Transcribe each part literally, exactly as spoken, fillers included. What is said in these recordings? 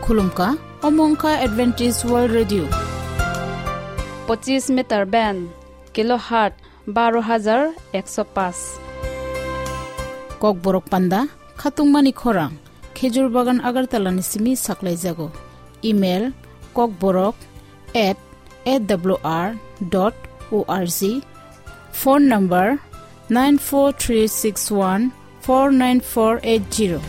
Khulumkha, omo wngkha Adventist World Radio. Pochis meter band, kilohertz baro hajar ekso paanch. Kokborok panda, khatungmani khorang, Khejur Bagan Agartala ni simi saklaijago. Email, kokborok at A W R dot O R G. Phone number, nine four three six one four nine four eight zero.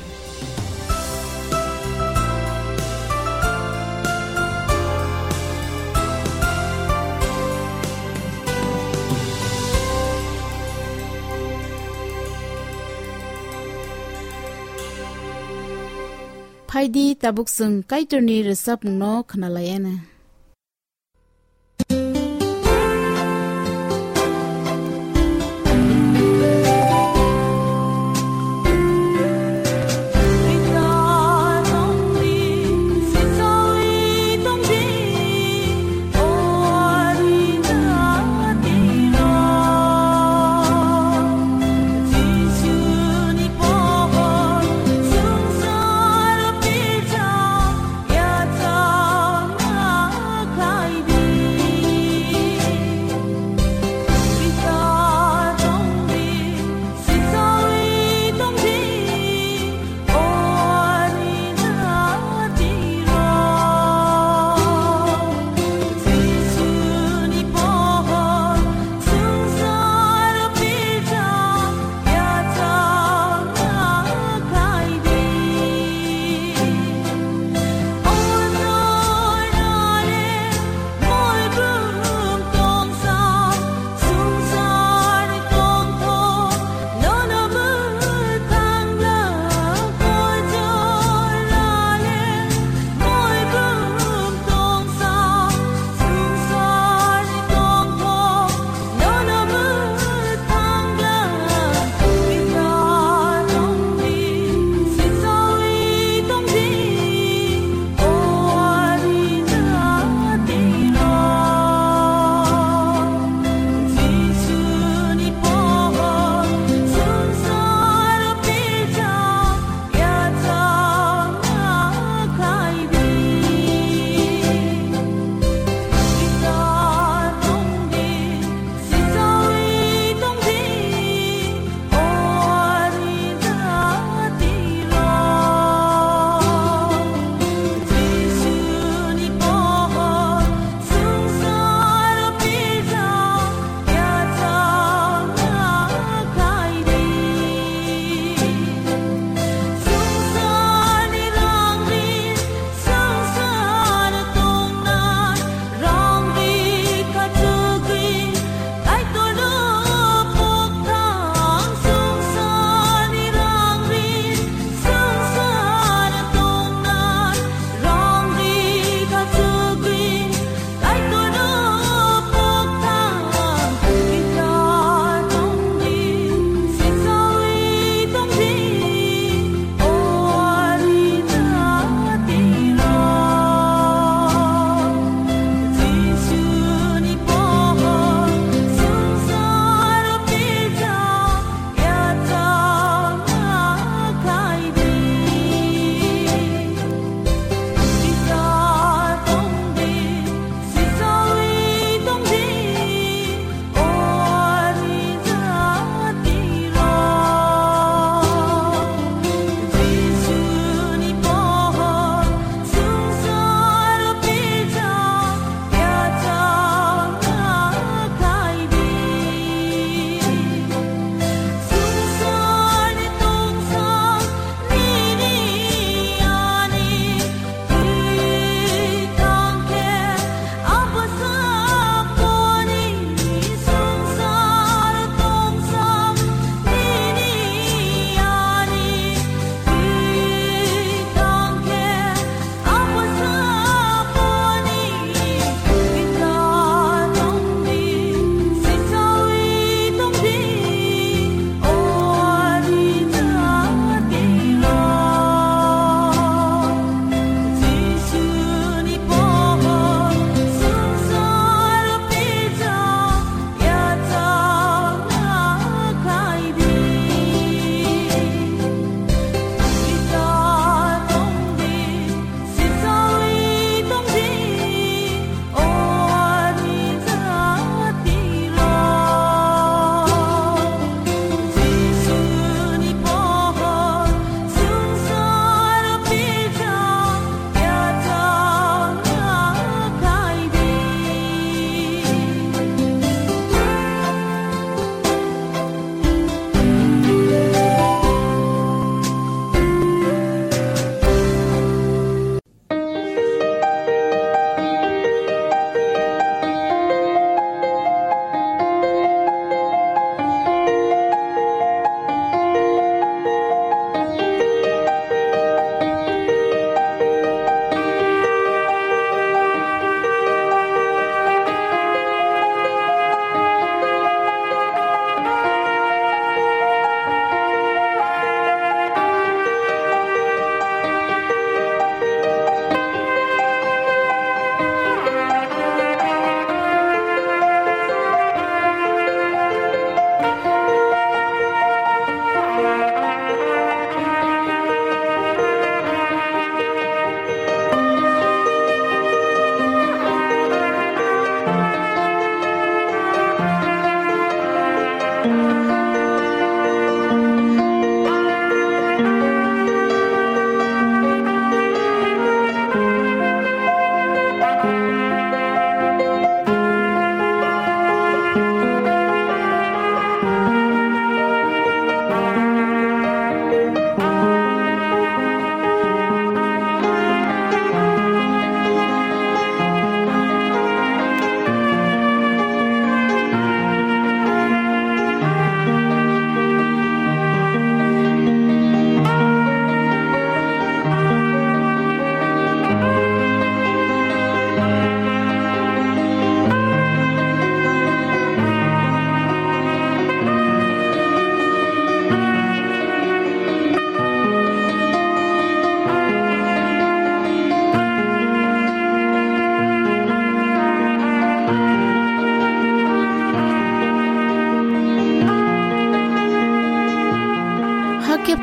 Phaidi, tabuk chwng Kaitorni rwchapmungno khwnalaiana.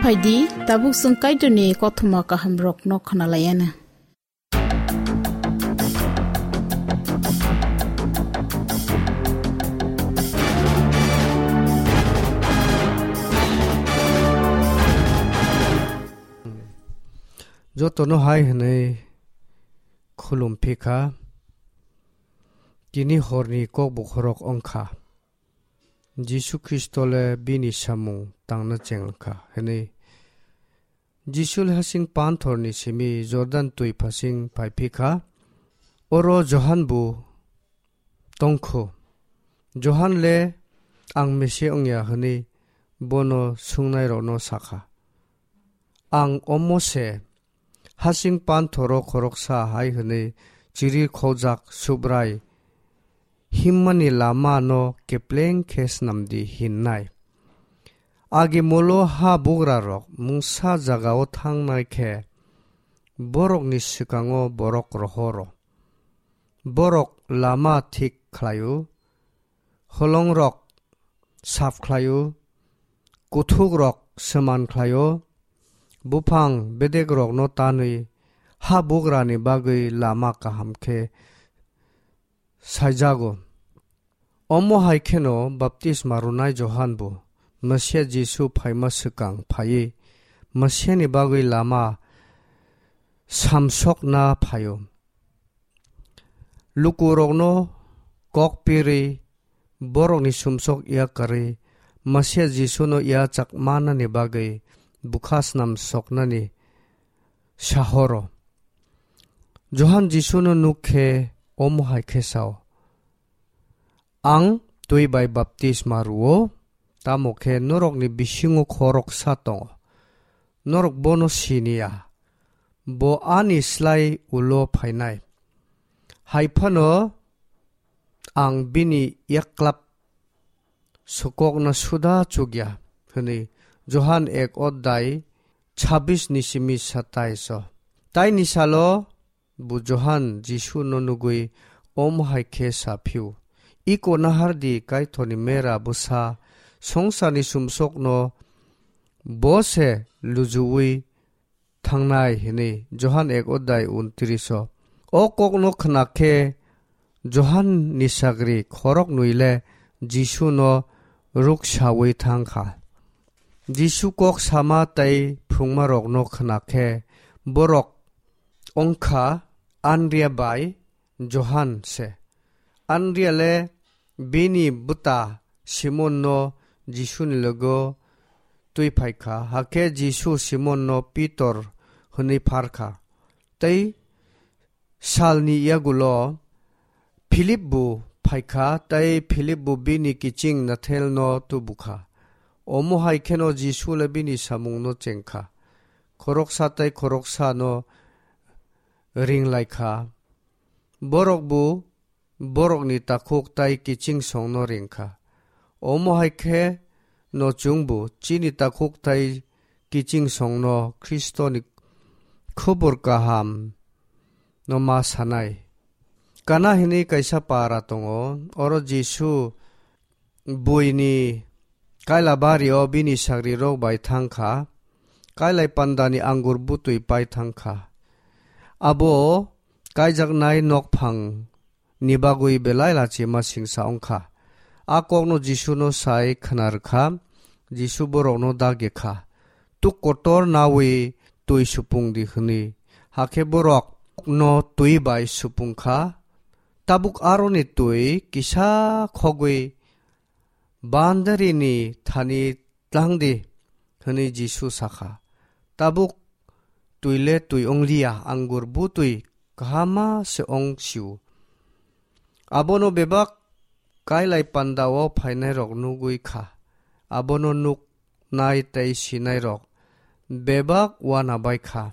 Phaidi, tabuk chwng Kaitorni kothoma kahamrokno khwnalaianw. Jotono hai hwnwi khulum phi kha, tini horni kokbokhorok wng kha. Jisu Khristo le bini samung tangna cheng kha hwnwi. Jisu le hasing panthorni simi Jordan twi phasing phai phi kha. Oro Johan bo tong kho. Johan le, "Ang Mesia wng ya," hwnwi bono swngnairokno sa kha. Ang omo se, hasing panthoro khoroksa hai hwnwi chiri khojak Subrai himmani lama no kepleng khe snam di hinnai. Agi molo ha bugrarok mungsa jagao thangnai khe borokni swkango borok rohoro. Borok lama thik khlaio, holongrok sap khlaio, kuthukrok sman khlaio, buphang bedekrokno tanwi ha bugrani bagwi lama kaham khe saijago. Omo hai kheno baptisma rwnai Johan bo Mesia Jisu phaima swkang phaiwi Mesiani bagwi lama samsokna phaio. Lukurokno kok pirwi, borokni sumsok yakarwi, Mesia Jisuno yachak manani bagwi bwkha snam soknani sahoro. Johan Jisuno nuk khe omo hai khe sao, "Ang twi bai baptisma rwo, tamo khe norokni bisingo khoroksa tongo, norok bono sini ya, bo ani slai ulo phainai. Hai phano ang bini yaklap sokokna suda chukya," hwnwi Johan ek odai chabis ni simi satais o. Taini salo bo Johan Jisuno nugwi omo hai khe sa phiu, "Iko nahar di, Kaitorni mera bwsa, songsarni sumsokno bo se lujuwi thangnai," hwnwi Johan ek odai untris o. O kokno khna khe Johan ni sagri khorok nwi le Jisuno ruksawi thang kha. Jisu kok sama tei phrwngmarokno khna khe borok wng kha Andria bai Johan se. Andria le bini bwta Simonno Jisuni logo twi phai kha, hakhe Jisu Simonno Pitor hwnwi phar kha. Tei salni yagulo Philip bo phai kha, tei Philip bo bini kiching Nathelno tubu kha. Omo hai kheno Jisu le bini samungno cheng kha. Khoroksa tei khoroksano ring lai kha. Borok bo borokni takhuk tei kiching songno ring kha. Omo hai khe no chwngbo chini takhuk tei kiching songno Khristoni khobor kaham no ma sanai. Kana hwnwi kaisa para tongo, oro Jisu buini kaila bario bini sagrirok bai thang kha, kailai pandani angur butwi pai thang kha. Abo kaijaknai nokphang ni bagwi belai lachima singsa wng kha. A kokno Jisuno sai khna rw kha, Jisu borokno dagi kha, "Tuk kotor nawi twi supung di," hwnwi. Hakhe borokno twi bai supung kha. Tabuk aroni twi kisa khogwi, "Bandarini thani tlang di," hwnwi Jisu sa kha. Tabuk twi le twi wng liya, angur butwi kahama se wng sio. Abono bebak kailai pandao phainairok nugwi kha. Abono nuknai tei sinairok bebak uana bai kha.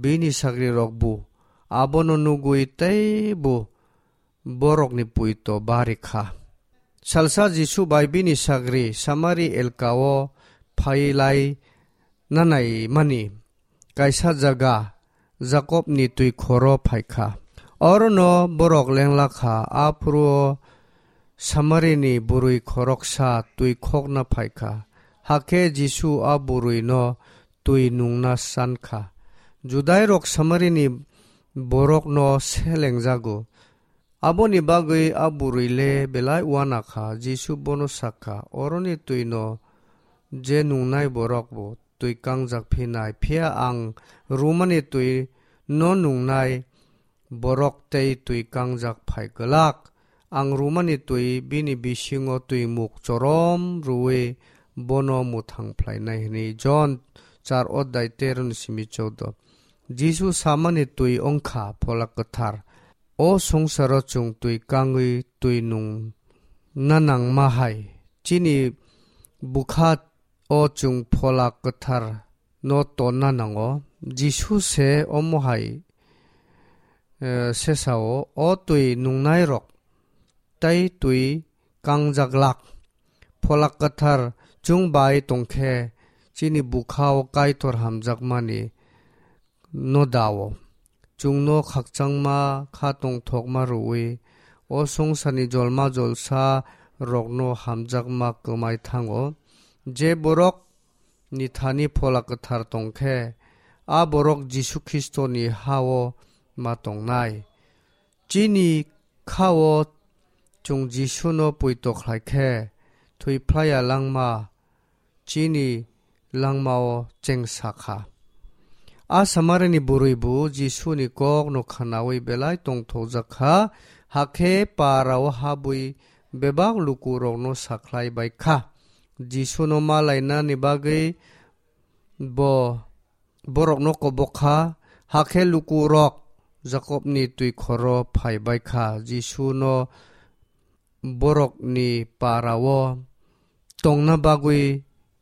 Bini sagrirok bo abono nugwi teibo borokni puito bari kha. Salsa Jisu bai bini sagri Samari elkao phai lai nanai mani kaisa jaga Jakobni twi khoro phai kha. Orono borok lengla kha, aphuru Samarini bwrwi khoroksa twi khokna phai kha. Hakhe Jisu a bwrwino twi nungna san kha. Judairok Samarini borokno selengjago. Aboni bagwi a bwrwi le belai uana kha. Jisu bono sa kha, "Oroni twino je nungnai borok bo twi kangjak phinai, phiya ang rwmani twi no nungnai borok tei twi kangjak phai glak. Ang rwmani twi bini bisingo twimuk chorom rwui bono mwthang phlainai," hwnwi Jon char odai tero ni simi choudo. Jisu samani twi wngkha Phola Kwthar. O swngcharo chwng twi kangwi twi nung na nangma hai, chini bwkha o chwng Phola Kwthar no tonna nango. Jisu se omo hai, eh, sesao, "O twi nungnairok tei twi kangjaglak. Phola Kwthar chwng bai tongkhe chini bwkha o Kaitor hamjakmani no dao. Chwngno khakchangma kha tongthokma rwui o swngcharni jolma jolsa rokno hamjakma kwmai thango. Je borok ni thani Phola Kwthar tongkhe, a borok Jisu Khristoni ha-o ma tongnai." Chini kha-o chwng Jisuno poito khlai khe, thwi phlaiya langma chini langmao chengsa kha. A Samarini bwrwi bo Jisuni kokno khnaui belai tongthokjak kha, hakhe parao habwi bebak lukurokno sakhlai bai kha. Jisuno ma lainani bagwi bo borokno kobok kha, hakhe lukurok Jakobni twi khoro phai bai kha. Jisuno borokni parao tongna bagwi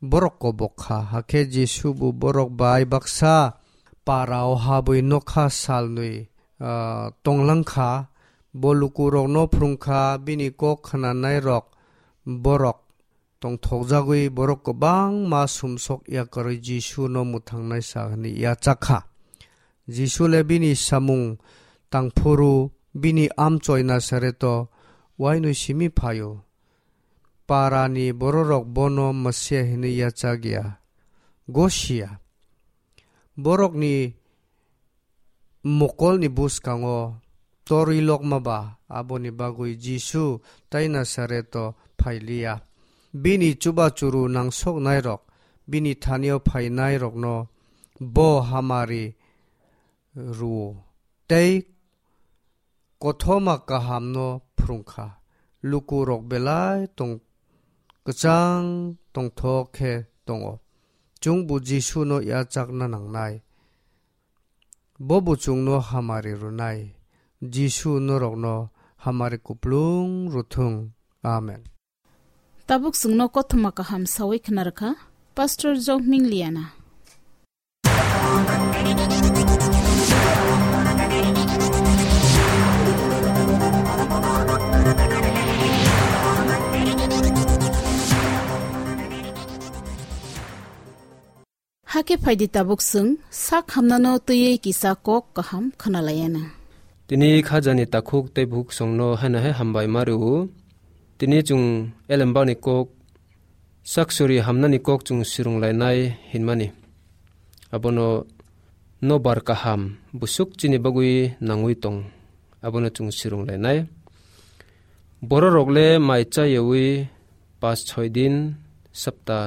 borok kobok kha. Hakhe Jisu bo borok bai baksa parao habwi nokha salnwi, ah, tonglang kha. Bo lukurokno phrwng kha, bini kok khnanairok borok tongthokjagwi borok kwbangma sumsok yakarwi Jisuno mwthangnai sa hwnwi yachak kha. Jisu le bini samung tangphuru bini amchoi Nasareto uainwi simi phaio. Parani bororok bono Mesia hwnwi yachak ya, gosi ya. Borokni mokolni bwskango torwi lokma ba, aboni bagwi Jisu tai Nasareto phai liya. Bini chuba churu nangsoknairok, bini thanio phainairokno bo hamari rw-o, tei kothoma kahamno phrwng kha. Lukurok belai tong-, kwchang tongthok khe tongo. Chwngbo Jisuno yachakna nangnai. Bo bo chwngno hamari rwnai. Jisu norokno hamari kuplung rwthwng. Amen. Tabuk chwngno kothoma kaham sawi khna rwkha Pastor Jokming Liana. Hakhe phaidi tabuk chwng sak hamnano twiwi kisa kok kaham khwnalaiyana. Tini khajani takhuk tei bukhuk songno haino hai hambai ma rw-o. Tini chwng elembakni kok, saksuri hamnani kok chwng swrwnglainai hinmani. Abono nobar kaham bwswk chini bagwi nangwi tong, abono chwng swrwnglainai. Bororok le mai chayawi pas choi din, sapta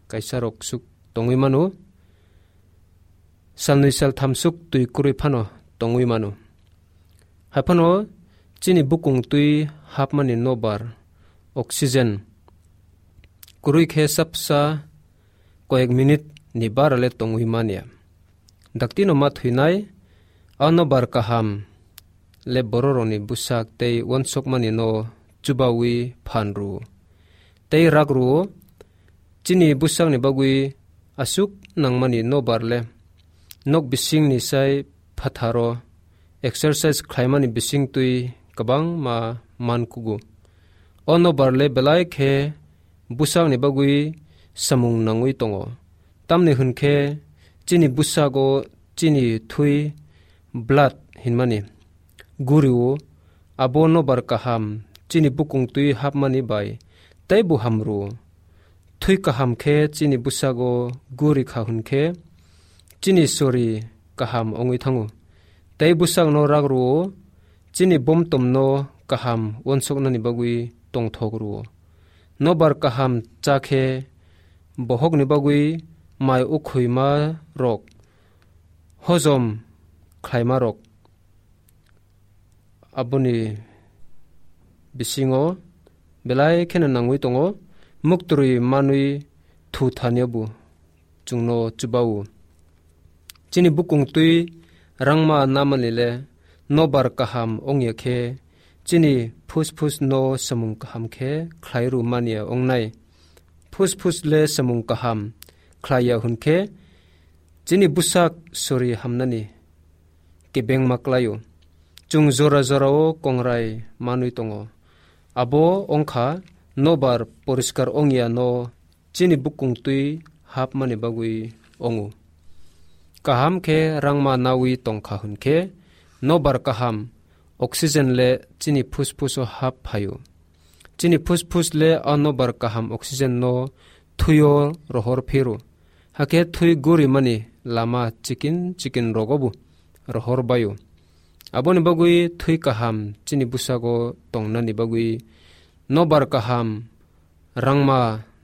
kaisarok swk tongwi mano, salnwi saltham swk twi kwrwi phano tongwi mano. Hai phano chini bukung twi hapmani nobar, oxygen, kwrwi khe sapsa koyek minute ni bara le tongwi manya. Daktino ma thwinai, a nobar kaham le bororokni bwsak tei uansukmani no chubawi phan rw-o. Tei rak rw-o, chini bwsakni bagwi aswk nangmani nobar le nok bisingni sai phatharo exercise khlaimani bisingtwi kwbangma man kugo. O nobar le belai khe bwsakni bagwi samung nangwi tongo. Tamni hwn khe chini bwsago chini thwi, blood hinmani, guri-o, abo nobar kaham chini bukung twi hapmani bai teibo ham rw-o. Thwi kaham khe chini bwsago guri kha hwn khe, chini sori kaham wngwi thango. Tei bwsakno rak rw-o, chini bomtomno kaham uansuknani bagwi tongthok rw-o. Nobar kaham cha khe bohokni bagwi mai ukhuima rok hojom khlaima rok. Aboni bisingo belai kheno nangwi tongo, muktwi manwi thu thaniyabu chwngno chubao. Chini bukung twi rangma namani le nobar kaham wngya khe, chini phusphus no samung kaham khe khlai rw manya wngnai. Phusphus le samung kaham khlaiya hwn khe, chini bwsak sori hamnani kebengma klaio. Chwng jora jorao kongrai manwi tongo. Abo wngkha nobar poriskar wngya no chini bukung twi hapmani bagwi wngo. Kaham khe rangma nawi tongkha hwn khe, nobar kaham oxygen le chini phusphus o hap phaio. Chini phusphus le a nobar kaham oxygen no thwio rohor phiro. Hakhe thwi gurimani lama chikin chikin rogobo rohor baio. Aboni bagwi thwi kaham chini bwsago tongnani bagwi nobar kaham rangma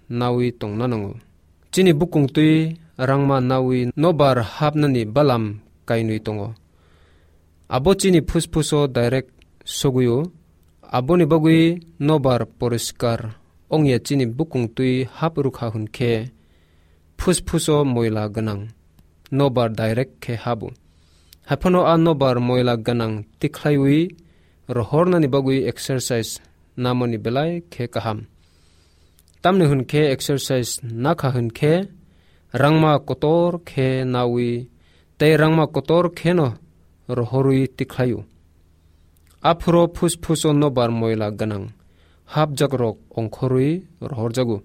nawi tongna nango. Chini bukung twi rangma nawi nobar hapnani balam kainwi tongo. Abo chini phusphus o direct sogwio. Aboni bagwi nobar poriskar wngya chini bukung twi hap rwkha hwn khe, phusphus o moila gwnang nobar direct khe habo. Haiphano a nobar moila gwnang tikhlaiwi rohornani bagwi exercise namani belai khe kaham. Tamni hwn khe exercise nakha hwn khe rangma kotor khe nawi tei rangma kotor kheno rohorwi tikhlaio. Aphuro phusphus o nobar moila gwnang hapjakrok ongkhorwi rohorjago.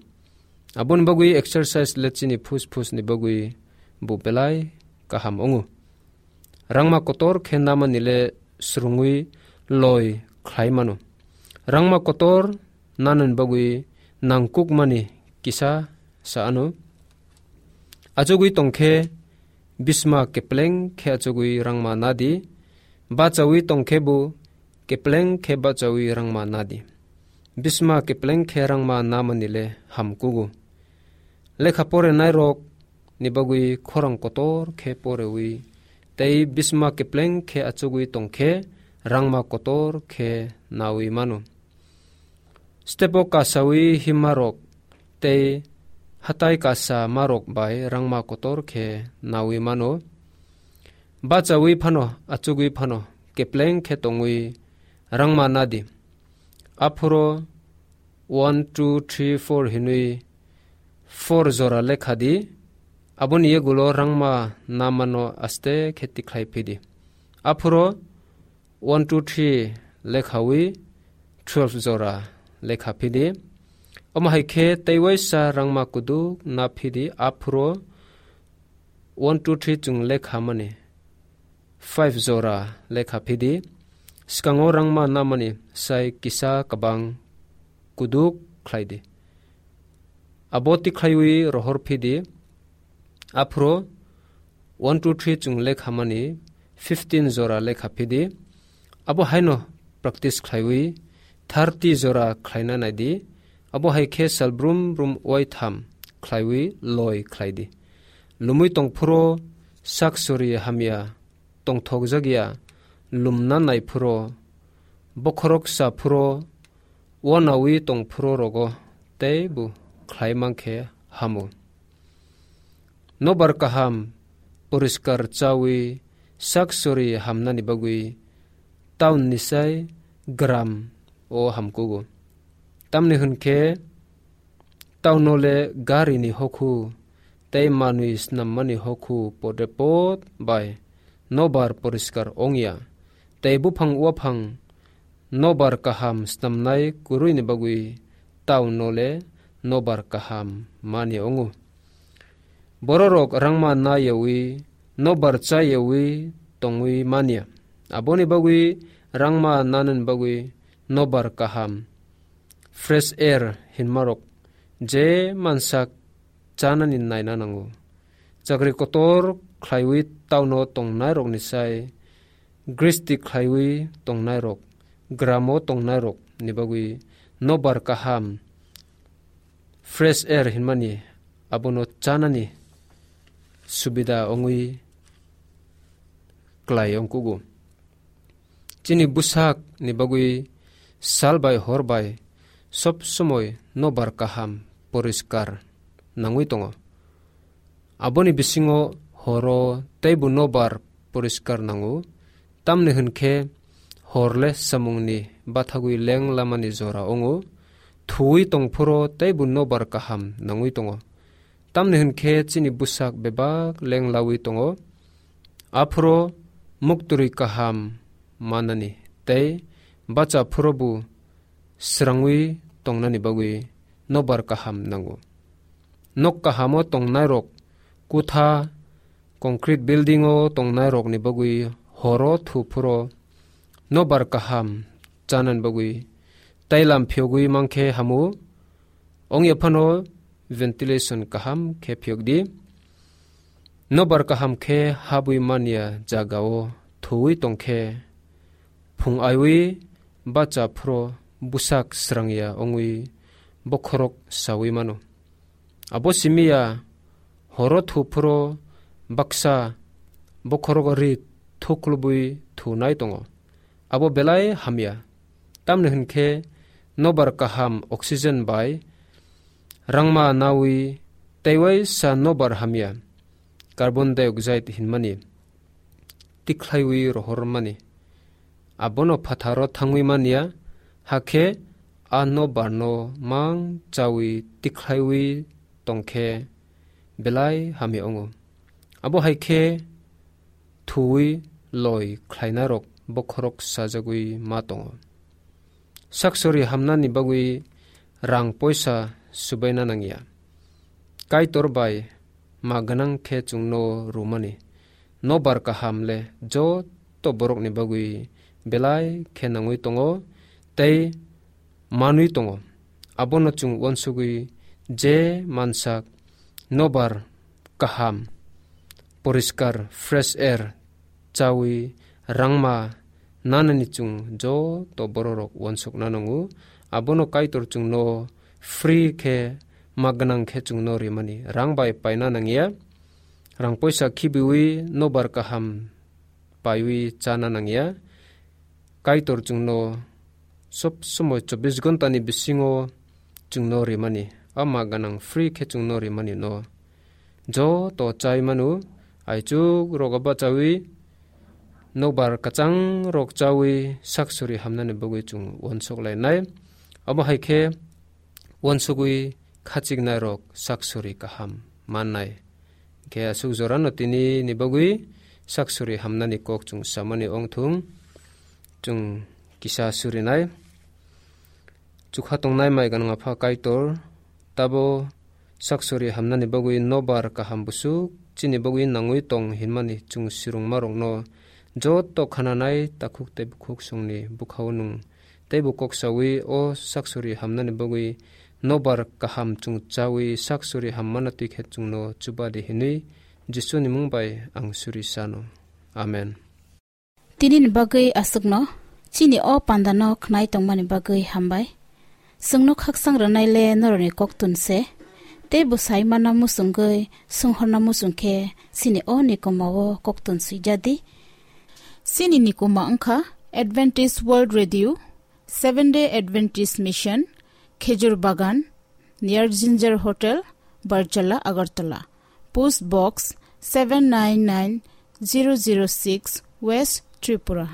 Aboni bagwi exercise le chini phusphus ni bagwi bo belai kaham wngo. Rangma kotor khe namani le swrwngwi loi khlai mano. Rangma kotor nanani bagwi nangkukmani kisa sa ano. Achugwi tongkhe bisma kepleng khe achugwi rangma nadi, bachawi tongkhe bo kepleng khe bachawi rangma nadi. Bisma kepleng khe rangma namani le hamkugo. Lekha porenairok ni bagwi khorang kotor khe porewi tei bisma kepleng khe achugwi tongkhe rangma kotor khe nawi mano. Stepo kasawi himarok tei hatai kasa marok bai rangma kotor khe nawi mano. Bachawi phano achugwi phano kepleng khe tongwi rangma nadi. Aphuro one, two, three, four hinwi four jora lekha di. Aboni yagulo rangma namano aste khe tikhlai phidi. Aphuro one, two, three lekhawi twelve jora lekha phidi. Omo hai khe tei waisa rangma kuduk na phidi, aphuro one, two, three chwng lekha mani five jora lekha phidi. Swkango rangma namani sai kisa kabang kuduk khlai di. Abo tikhlaiwi rohor phidi. Aphuro one, two, three chwng lekha mani fifteen jora lekha phidi. Abo haino practice khlaiwi thirty jora khlaina naidi. Abo hai khe sal brum brum waitham khlaiwi loi khlai di. Lumwi tong phuro sak sori hamya tongthokjak ya, lumna nai phuro, bokhorok sa phuro, uanawi tong phuro rogo tei bo khlai mankhe hamo. Nobar kaham poriskar chawi sak sori hamnani bagwi town ni sai gram o hamkugo. Tamni hwn khe, tauno le gari ni hokhu tei manwi snammani hokhu podre pod bai nobar poriskar ongya, tei buphang uaphang nobar kaham snamnai kwrwini bagwi tauno le nobar kaham mani wngo. Bororok rangma na yawi, nobar cha yawi tongwi manya. Aboni bagwi rangma nanani bagwi nobar kaham, fresh air hinmarok je mansak chanani naina nango. Chakri kotor khlaiwi tauno tongnairokni sai gristi khlaiwi tongnairok, gramo tongnairokni bagwi nobar kaham, fresh air hinmani abono chanani subida wngwi klai wngkugo. Chini bwsakni bagwi sal bai hor bai sob somoi nobar kaham poriskar nangwi tongo. Aboni bisingo horo teibo nobar poriskar nango, tamni hwn khe hor le samungni bathagwi leng lamani jora wngo, thuwi tongphuru teibo nobar kaham nangwi tongo. Tamni hwn khe chini bwsak bebak leng lawi tongo. Aphuru muktwrwi kaham manani tei bacha phuru bo srangwi tongnani bagwi nobar kaham nango. Nok kahamo tongnairok, kutha, concrete building-o tongnairokni bagwi horo thuphuru nobar kaham chanani bagwi tailam phiyogwi mankhe hamu. Ongya phano ventilation kaham khe phiyokdi. Nobar kaham khe habwi manya jagao thuwi tongkhe, phung aiwi bacha phuru bwsak srangya wngwi bokhorok sawi mano. Abo simiya horo thuphuru baksa bokhorok ri thuklubwi thunai tongo. Abo belai hamya. Tamni hwn khe nobar kaham oxygen bai rangma nawi teiwaisa nobar hamya carbon dioxide hinmani tikhlaiwi rohormani. Abono phatharo thangwi manya, hakhe a nobarno mang chawi tikhlaiwi tongkhe belai hamya wngo. Abo hai khe thuwi loi khlainarok bokhorok sajagwi ma tongo. Saksori hamnani bagwi rang poisa subaina nangya. Kaitor bai ma gwnang khe chwngno rwmani nobar kaham le joto borokni bagwi belai khe nangwi tongo tei manwi tongo. Abono chwng uansugwi je mansak nobar kaham, poriskar, fresh air chawi rangma nanani chwng joto bororok uansukna nango. Abono Kaitor chwngno free khe ma gwnang khe chwngno rimani. Rang bai paina nangya, rang poisa khibiwi nobar kaham paiwi chana nangya. Kaitor chwngno sob somoi chobbish ghonta ni bisingo chwngno rimani, ama gwnang free khe chwngno rimani no. Joto chai manu, aichuk rogo bachawi, nokbar kwchang rok chawi, saksuri hamnani bagwi chwng uansuk lainai. Abo hai khe uansugwi khachiknai rok saksuri kaham mannai. Khe aswk jorano tini ni bagwi saksuri hamnani kok chwng samani ongthung, chwng kisa surinai. Chukha tongnai mai gwnang Apha Kaitor, tabo saksuri hamnani bagwi nobar kaham busuk chini bagwi nangwi tong hinmani chwng sirungmarokno joto khananai takhuk tei bukhuk songni bwkhao nwng teibo kok sawi o saksuri hamnani bagwi nobar kaham chwng chawi saksuri hammano twi khe chwngno chuba di hinwi Jisuni mung bai ang suri sano. Amen. Tini ni bagwi aswkno, chini o panda no khnai tongmani bagwi hambai. Chwngno khaksang rwnai le norokni koktun se. Tei bwsai mana muchungwi, swnghorna muchung khe, chini o nikoma o koktun swijadi. Chini nikoma wngkha Adventist World Radio, Seven Day Adventist Mission, Khejur Bagan, near Ginger Hotel, Barjala, Agartala. Post Box seven nine nine zero zero six, West Tripura.